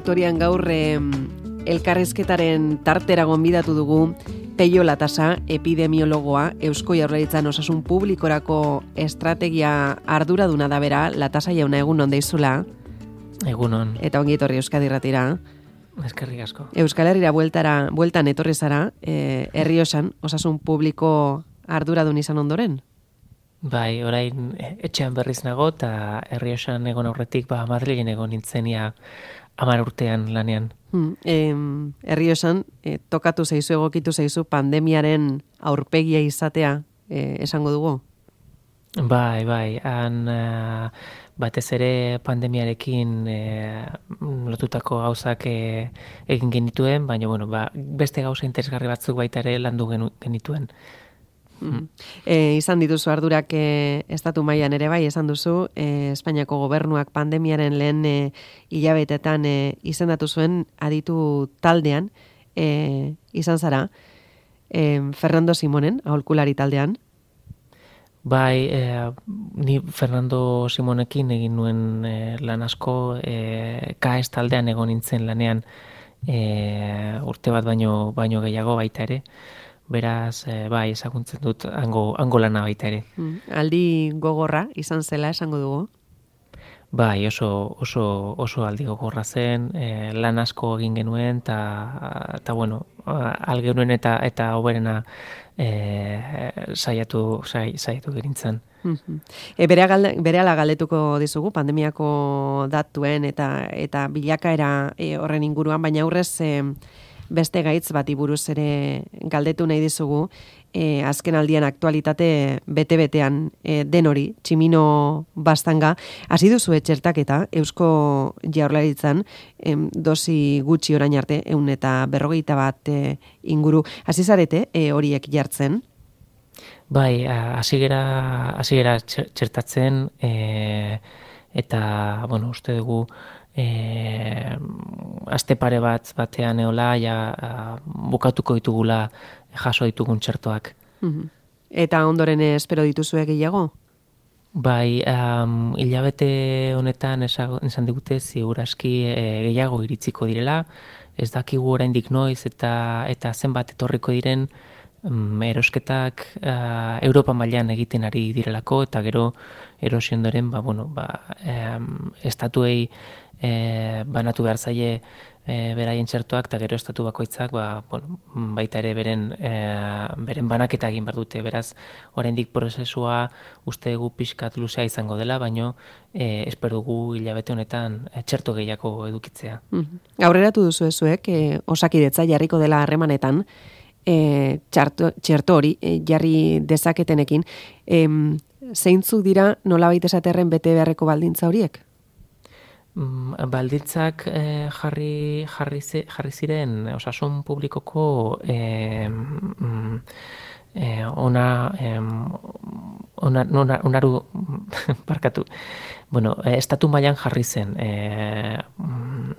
faktorian gaur elkarrizketaren tartera gonbidatu dugu Peio Latasa, epidemiologoa, Eusko Jaurlaritzan osasun publikorako estrategia arduraduna da bera. Latasa jauna, egunon deizula. Egunon. Eta ongi etorri Euskadi Irratira. Eskerrik asko. Euskal Herrira bueltan etorri zara, Errioxan osasun publiko arduradun izan ondoren? Bai, orain etxean berriz nago eta Errioxan egon aurretik Madrilen egon nintzenia 10 urtean lanean. Errioxan tokatu zaizu, egokitu zaizu pandemiaren aurpegia izatea esango dugu? Bai, han batez ere pandemiarekin lotutako gauzak egin genituen, baina beste gauza interesgarri batzuk baita ere landu genituen. Izan dituzu ardurak estatu mailan ere bai, esan duzu, Espainiako gobernuak pandemiaren lehen hilabetetan izendatu zuen aditu taldean, izan zara, Fernando Simonen, aholkulari taldean. Bai, ni Fernando Simonekin egin nuen lan asko, KAES taldean egon nintzen lanean urte bat baino gehiago baita ere. Beraz, bai, ezagutzen dut hango lana baita ere. Aldi gogorra izan zela esango dugu? Bai, oso aldi gogorra zen, lan asko egin genuen, eta bueno, algenuen eta hoberena saiatu gerintzen. Berehala galdetuko dizugu, pandemiako datuen eta bilakaera horren inguruan, baina aurrez beste gaitz bati buruz ere galdetu nahi dizugu, azken aldian aktualitate bete-betean den hori, Tximino Baztanga, hasi duzu txertaketa Eusko Jaurlaritzan, dosi gutxi orain arte, 151 inguru, hasi zarete horiek jartzen? Bai, hasi gera txertatzen, eta, bueno, uste dugu, aste pare batean eola, bukatuko ditugula jaso ditugun txertoak. Eta ondoren espero dituzue gehiago? Bai, hilabete honetan esan digute ziur aski gehiago iritziko direla, ez dakigu oraindik noiz eta zenbat etorriko diren erosketak Europa mailan egiten ari direlako, eta gero erosi ondoren, estatuei banatu behar zaie beraien txertoak, eta gero estatu bakoitzak baita ere beren banaketa egin behar dute. Beraz, oraindik prozesua uste dugu pixkat luzea izango dela, baino espero dugu hilabete honetan txerto gehiago edukitzea. Aurreratu duzu ezuek, Osakidetza jarriko dela harremanetan, txerto hori jarri dezaketenekin, zeintzuk dira nolabait esaterren bete beharreko baldintza horiek? Baldintzak jarri ziren osasun publikoko onaru barkatu. Estatu mailan jarri zen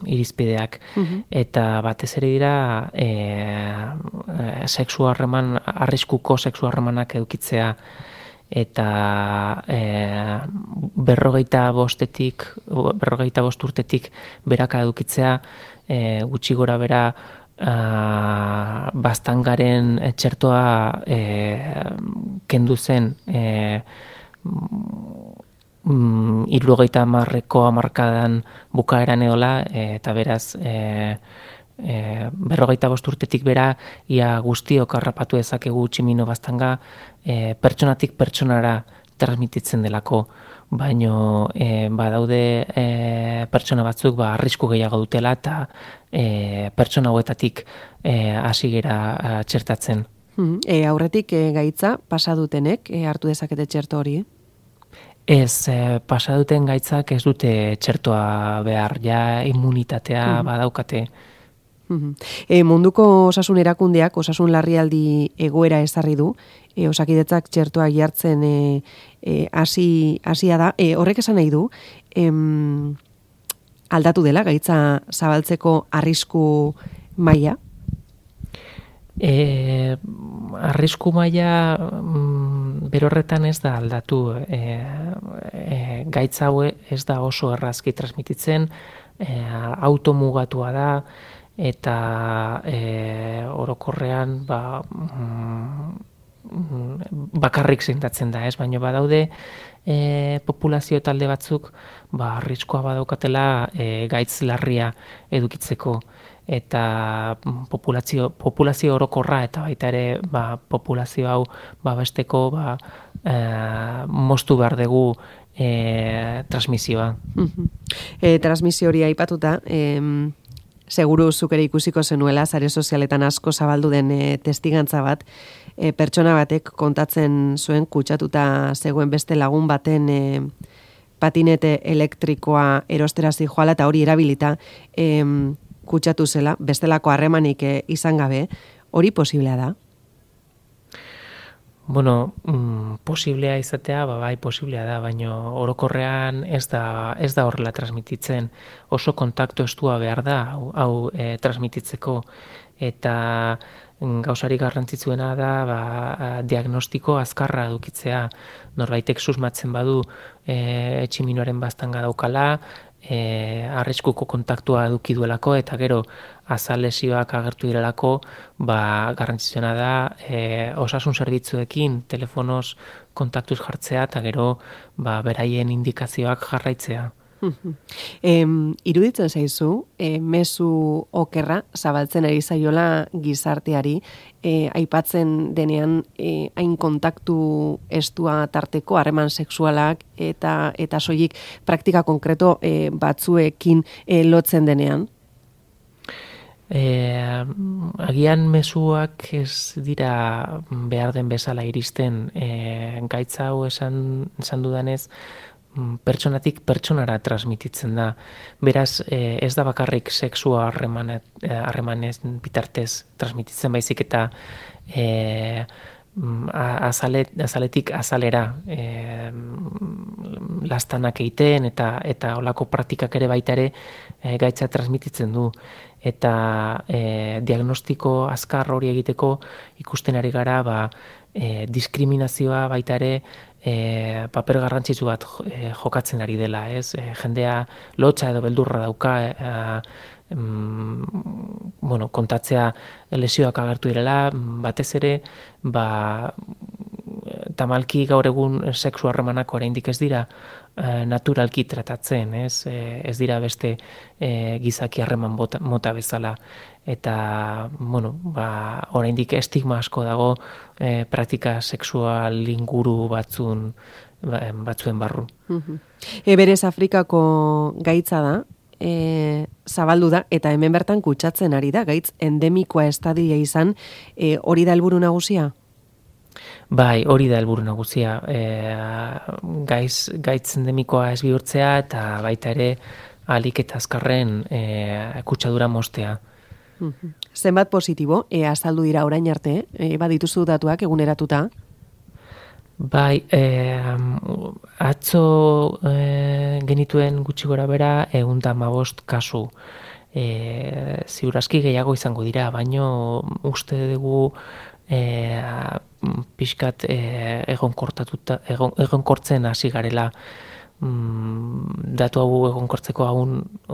irizpideak, eta batez ere dira arriskuko sexu harremanak edukitzea, eta 45 urtetik beraka edukitzea, gutxi gora bera Baztangaren txertoa kendu zen 70ko hamarkadan bukaeran edola, eta beraz 45 urtetik bera ia guztiok harrapatu dezakegu Tximino Baztanga pertsonatik pertsonara transmititzen delako, baino badaude pertsona batzuk arrisku gehiago dutela, eta pertsona hauetatik hasi gera txertatzen. Aurretik gaitza pasa dutenek hartu dezakete txerto hori? Ez, pasa duten gaitzak ez dute txertoa behar, ja immunitatea badaukate. Munduko osasun erakundeak osasun larrialdi egoera ezarri du, Osakidetzak txertoa jartzen hasia da. Horrek esan nahi du, aldatu dela gaitza zabaltzeko arrisku maila? Arrisku maila berorretan ez da aldatu. Gaitza hau ez da oso errazki transmititzen, automugatua da, eta orokorrean bakarrik seintatzen da, ez? Baina badaude populazio talde batzuk arriskua badaukatela gaitz larria edukitzeko, eta populazio orokorra eta baita ere populazio hau babesteko moztu behar dugu transmisioa. Transmisio hori aipatuta, seguru zuk ere ikusiko zenuela, sare sozialetan asko zabaldu den testigantza bat, pertsona batek kontatzen zuen kutsatuta zegoen beste lagun baten patinete elektrikoa erostera zijoala eta hori erabilita kutsatu zela, bestelako harremanik izan gabe, hori posiblea da? Bueno, posiblea izatea, bai posiblea da, baina orokorrean ez da horrela transmititzen. Oso kontaktu estua behar da, hau transmititzeko, eta gauzari garrantzitsuena da diagnostiko azkarra edukitzea. Norbaitek susmatzen badu tximinoaren baztanga daukala, arriskuko kontaktua eduki duelako, eta gero azal lesioak agertu direlako, garrantzitsuena da osasun zerbitzuekin telefonoz kontaktuz jartzea, eta gero beraien indikazioak jarraitzea. Iruditzen zaizu, mezu okerra zabaltzen ari zaiola gizarteari, aipatzen denean hain kontaktu estua tarteko harreman sexualak eta soilik praktika konkreto batzuekin lotzen denean? Agian mezuak ez dira behar den bezala iristen, gaitza hau esan dudanez, pertsonatik pertsonara transmititzen da. Beraz, ez da bakarrik sexua harremanez bitartez transmititzen, baizik eta azaletik azalera lastanak egiten eta olako praktikak ere baita ere gaitza transmititzen du. Eta diagnostiko azkar hori egiteko ikusten ari gara diskriminazioa baita ere paper garrantzitsu bat jokatzen ari dela, ez? Jendea lotsa edo beldurra dauka kontatzea lesioak agertu direla, batez ere tamalki gaur egun sexu harremanak oraindik ez dira naturalki tratatzen, ez? Ez dira beste gizaki harreman mota bezala. Eta, oraindik estigma asko dago praktika sexual inguru batzuen barru. Berez Afrikako gaitza da, zabaldu da, eta hemen bertan kutsatzen ari da, gaitz endemikoa estadia izan, hori da helburu nagusia? Bai, hori da helburu nagusia. Gaitz endemikoa ez bihurtzea eta baita ere ahalik eta azkarren kutsadura moztea. Zenbat positibo azaldu dira orain arte, badituzu datuak eguneratuta? Bai, atzo genituen gutxi gora bera 115 kasu. Ziur aski gehiago izango dira, baino uste dugu pixkat egonkortzen hasi garela. Datu hau egonkortzeko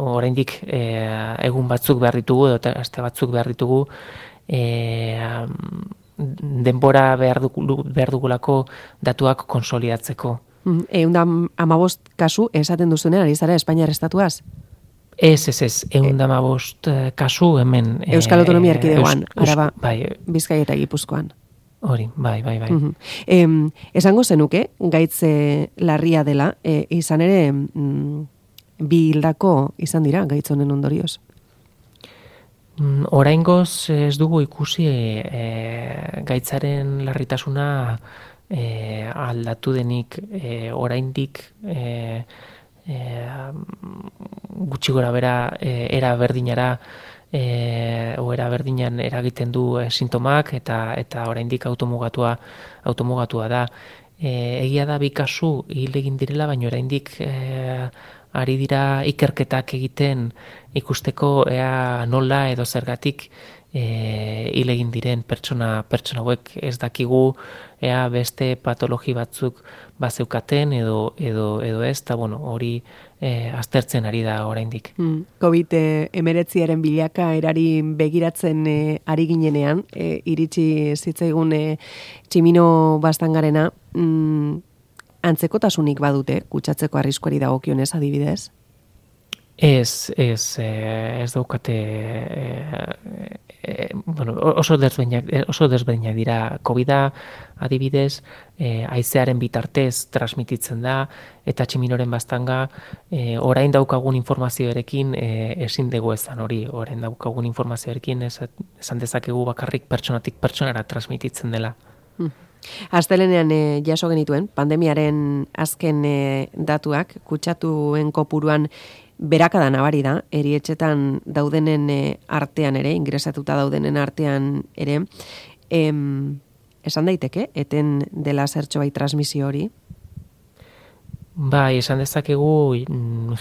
oraindik egun batzuk behar ditugu edo aste batzuk behar ditugu, denbora behar dugulako datuak konsolidatzeko. 115 kasu esaten duzunean ari zara Espainiar estatuaz? Ez, 115 kasu hemen. Euskal Autonomia Erkidegoan, Araba, bai. Bizkaia eta Gipuzkoan. Hori, bai. Esango zenuke, gaitze larria dela, izan ere bi hildako izan dira gaitz honen ondorioz? Oraingoz ez dugu ikusi gaitzaren larritasuna aldatu denik, oraindik gutxi gora bera era berdinara era berdinan eragiten du sintomak eta oraindik automugatua da. Egia da bi kasu hil egin direla, baina oraindik ari dira ikerketak egiten ikusteko ea nola edo zergatik hil egin diren pertsona hauek. Ez dakigu ea beste patologi batzuk bazeukaten edo ez, eta hori aztertzen ari da oraindik. COVID-19 bilaka erari begiratzen ari ginenean, iritsi zitzaigun Tximino Baztangarena, antzekotasunik badute, kutsatzeko arriskuari dagokionez adibidez? Ez daukate, oso desberdinak dira. COVID-a adibidez, haizearen bitartez transmititzen da, eta Tximinoren Baztanga orain daukagun informazioarekin ezin dugu ezan hori, orain daukagun informazioarekin esan dezakegu bakarrik pertsonatik pertsonara transmititzen dela. Astelenean jaso genituen, pandemiaren azken datuak, kutsatuen kopuruan berakada nabari da, erietxetan daudenen artean ere, ingresatuta daudenen artean ere, esan daiteke, eten dela zertxo bai transmisio hori? Bai, esan dezakegu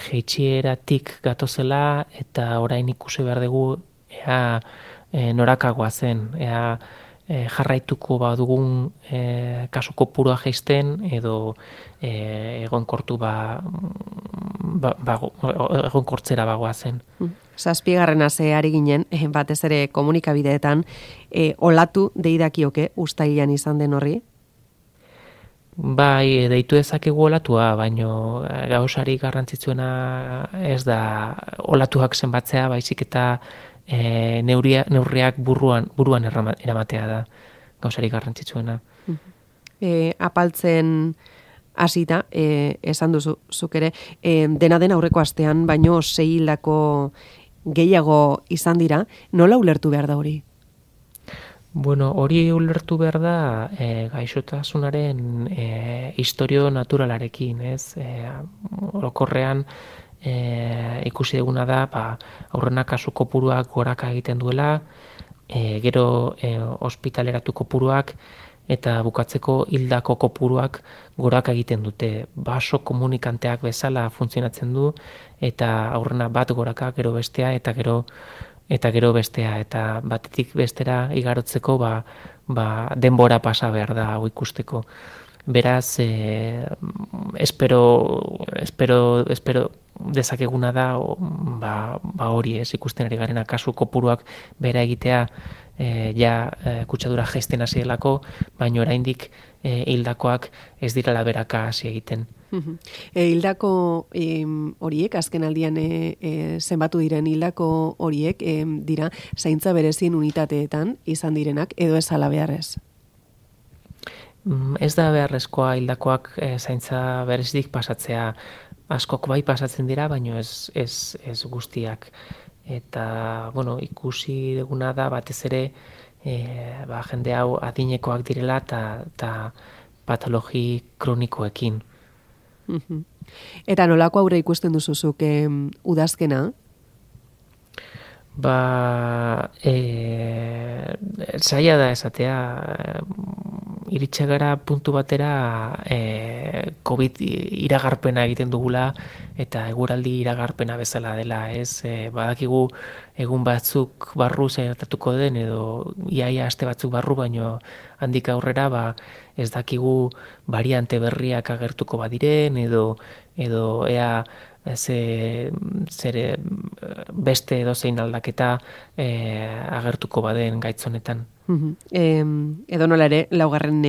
jeitsieratik gatozela, eta orain ikusi behar dugu ea norakagoa zen, ea jarraituko badugun kasu kopurua jaisten edo egonkortu egonkortzera bagoa zen. Zazpigarrena ari ginen, batez ere komunikabideetan, olatu deidakioke ustailean izan den horri? Bai, deitu dezakegu olatua, baino gauzari garrantzitsuena ez da olatuak zenbatzea, baizik eta neurriak buruan eramatea da gauzari garrantzitsuena. Apaltzen hasita, esan duzu zuk ere, dena den aurreko astean, baino 6 hildako gehiago izan dira, nola ulertu behar da hori? Bueno, hori ulertu behar da gaixotasunaren historio naturalarekin, ez? Orokorrean ikusi duguna da, aurrena kasu kopuruak goraka egiten duela, gero ospitaleratu kopuruak eta bukatzeko hildako kopuruak goraka egiten dute. Baso komunikanteak bezala funtzionatzen du, eta aurrena bat goraka, gero bestea, eta gero bestea, eta batetik bestera igarotzeko denbora pasa behar da hau ikusteko. Beraz, espero dezakeguna da hori ez ikusten ari garena kasu kopuruak bera egitea kutsadura jaisten hasi delako, baina oraindik hildakoak ez direla beraka hasi egiten. Hildako horiek, azken aldian zenbatu diren hildako horiek dira zaintza berezien unitateetan izan direnak edo ez ala beharrez? Ez da beharrezkoa hildakoak zaintza berezitik pasatzea. Askok bai pasatzen dira, baino ez guztiak. Eta, ikusi duguna da batez ere jende hau adinekoak direla eta patologi kronikoekin. Eta nolako aurre ikusten duzuzuk udazkena? Zaila da esatea, iritsi gara puntu batera COVID iragarpena egiten dugula eta eguraldi iragarpena bezala dela, ez? Badakigu egun batzuk barru zertatuko den edo iaia aste batzuk barru, baino handik aurrera ez dakigu variante berriak agertuko badiren edo ea beste edozein aldaketa agertuko baden gaitz honetan. Edo nola ere, laugarren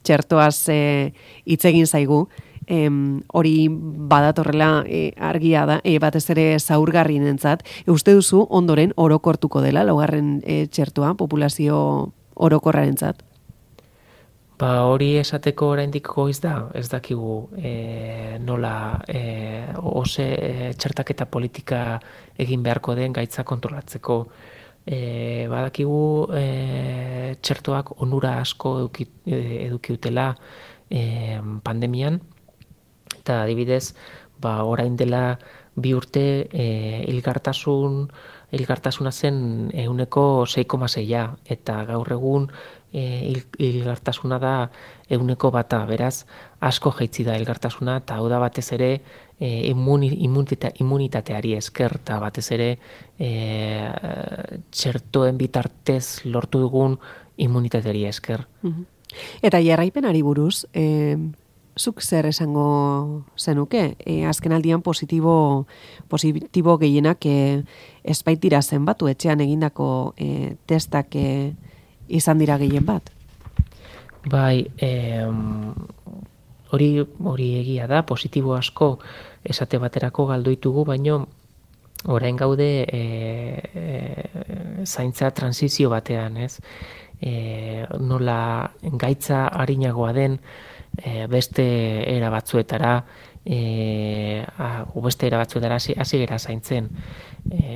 txertoaz hitz egin zaigu, hori badatorrela argia da, batez ere zaurgarrienentzat. Uste duzu ondoren orokortuko dela laugarren txertoa populazio orokorrarentzat? Hori esateko oraindik goiz da, ez dakigu nola txertaketa politika egin beharko den gaitza kontrolatzeko. Badakigu txertoak onura asko edukiutela pandemian, eta adibidez, orain dela 2 urte hilgartasuna zen 6,6, eta gaur egun hilgartasuna da 1%, beraz asko jaitsi da hilgartasuna, eta hau da batez ere immunitateari esker, eta batez ere txertoen bitartez lortu dugun immunitateari esker. Eta jarraipenari buruz, zuk zer esango zenuke? Azken aldian positibo gehienak ez baitira zenbatu etxean egindako testak izan dira gehien bat? Bai, hori egia da, positibo asko esate baterako galdoitugu, baino orain gaude zaintza transizio batean, ez? Nola gaitza arinagoa den beste era batzuetara hasi gera zaintzen.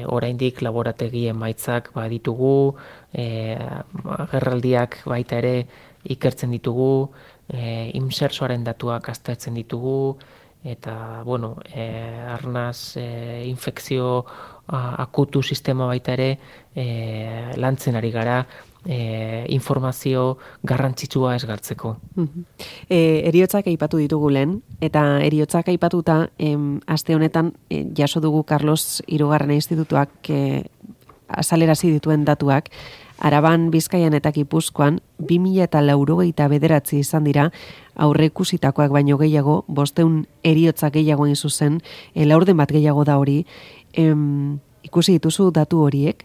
Oraindik laborategien emaitzak baditugu, agerraldiak baita ere ikertzen ditugu, insertsoaren datuak aztertzen ditugu, eta, bueno, arnaz infekzio akutu sistema baita ere lantzen ari gara, informazio garrantzitsua ez galtzeko. Heriotzak aipatu ditugu lehen, eta heriotzak aipatuta aste honetan jaso dugu Carlos Hirugarren Institutuak azalerazi dituen datuak. Araban, Bizkaian eta Gipuzkoan 2089 izan dira aurreikusitakoak baino gehiago, 500 heriotza gehiago hain zuzen, laurden bat gehiago da hori. Ikusi dituzu datu horiek?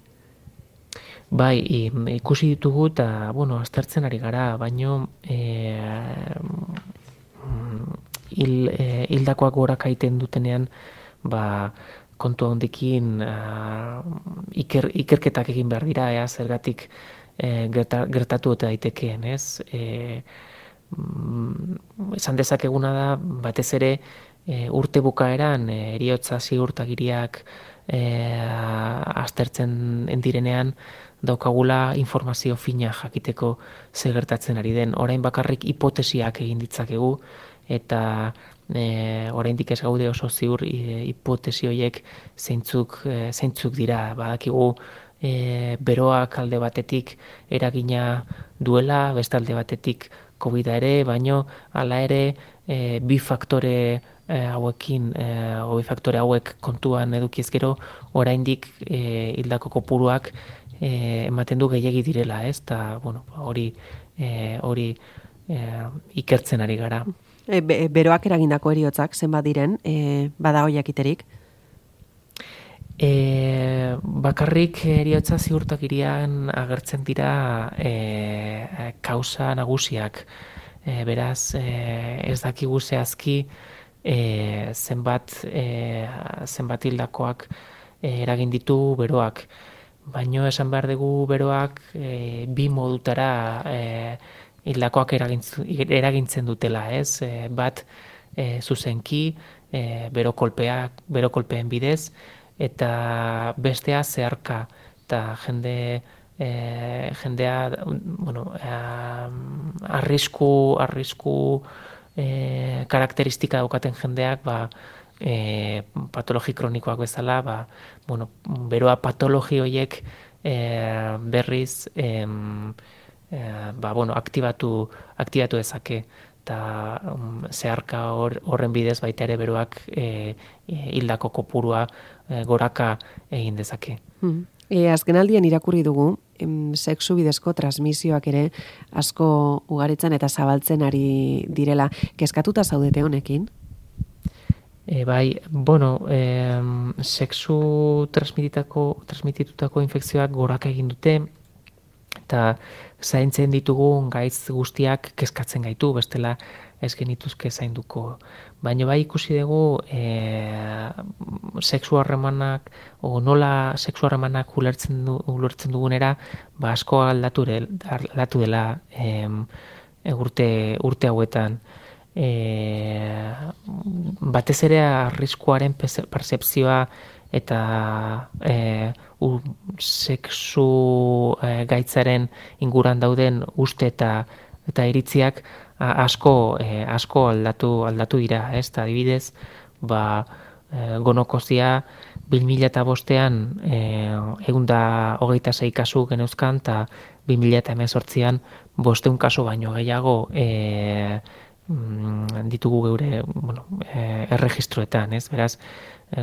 Bai, ikusi ditugu eta, bueno, aztertzen ari gara, baino hildakoak goraka egiten dutenean, kontu handikin ikerketak egin behar dira, zergatik gertatu eta daitekeen, ez? Esan dezakeguna da, batez ere, urte bukaeran heriotza ziurtagiriak aztertzen direnean, daukagula informazio fina jakiteko ze gertatzen ari den. Orain bakarrik hipotesiak egin ditzakegu, eta oraindik ez gaude oso ziur hipotesi horiek zeintzuk dira. Badakigu beroak alde batetik eragina duela, beste alde batetik COVID-a ere, baino hala ere bi faktore hauek kontuan edukiz gero, oraindik hildako kopuruak ematen du gehiegi direla, ez? Eta, bueno, hori ikertzen ari gara. Beroak eragindako heriotzak zenbat diren, bada jakiterik? Bakarrik heriotza ziurtagirian agertzen dira kausa nagusiak. Beraz, ez dakigu zehazki zenbat hildakoak eragin ditu beroak. Baino esan behar dugu beroak bi modutara hildakoak eragintzen dutela, ez? Bat zuzenki, berokolpeen bidez, eta bestea zeharka, eta jendea, bueno, arrisku karakteristika daukaten jendeak, patologi kronikoak bezala, bueno, beroa patologi horiek berriz bueno, aktibatu dezake, eta zeharka horren bidez baita ere beroak hildako kopurua goraka egin dezake. Azkenaldian irakurri dugu, sexu bidezko transmisioak ere asko ugaritzen eta zabaltzen ari direla. Kezkatuta zaudete honekin? Bai, bueno, sexu transmititutako infekzioak goraka egin dute, eta zaintzen ditugun gaitz guztiak kezkatzen gaitu, bestela ez genituzke zainduko. Baina bai ikusi dugu sexu harremanak, nola sexu harremanak ulertzen dugunera, asko aldatu dela urte hauetan. Batez ere arriskuaren percepzioa eta sexu gaitzaren inguran dauden uste eta iritziak asko aldatu dira, ez? Adibidez, gonokozia 2005an 126 kasu geneuzkan, eta 2018an 500 kasu baino gehiago ditugu geure erregistroetan, ez? Beraz,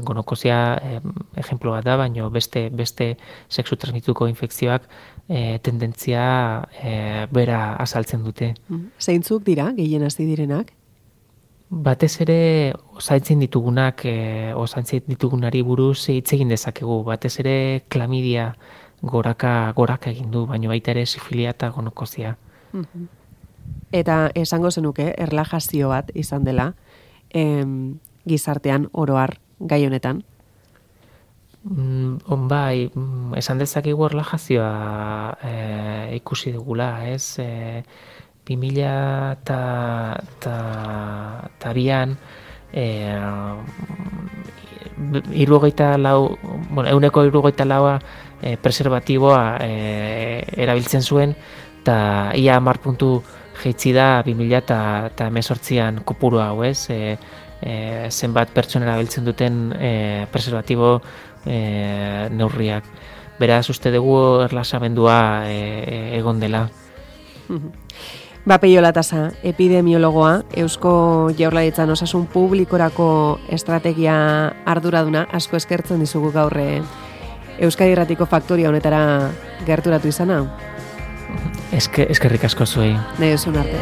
gonokozia ejemplo bat da, baino beste sexu transmituko infekzioak tendentzia bera azaltzen dute. Zeintzuk dira gehien hasi direnak? Batez ere, osaintzen ditugunari buruz hitz egin dezakegu. Batez ere, klamidia goraka egin du, baina baita ere sifilia eta gonokozia. Eta esango zenuke, erlajazio bat izan dela, gizartean oroar gai honetan? Bai, esan dezakegu erlajazioa ikusi dugula, ez? 2002an, euneko 74 preservatiboa erabiltzen zuen, eta ia 10 puntu jaitsi da 2018an kopuru hau, ez? Zenbat pertsona erabiltzen duten preservatibo neurriak. Beraz, uste dugu erlaxamendua egon dela. Peio Latasa, epidemiologoa, Eusko Jaurlaritzan osasun publikorako estrategia arduraduna, asko eskertzen dizugu gaur Euskadi Irratiko faktoria honetara gerturatu izana. Eskerrik asko zuei. Nahi duzun arte.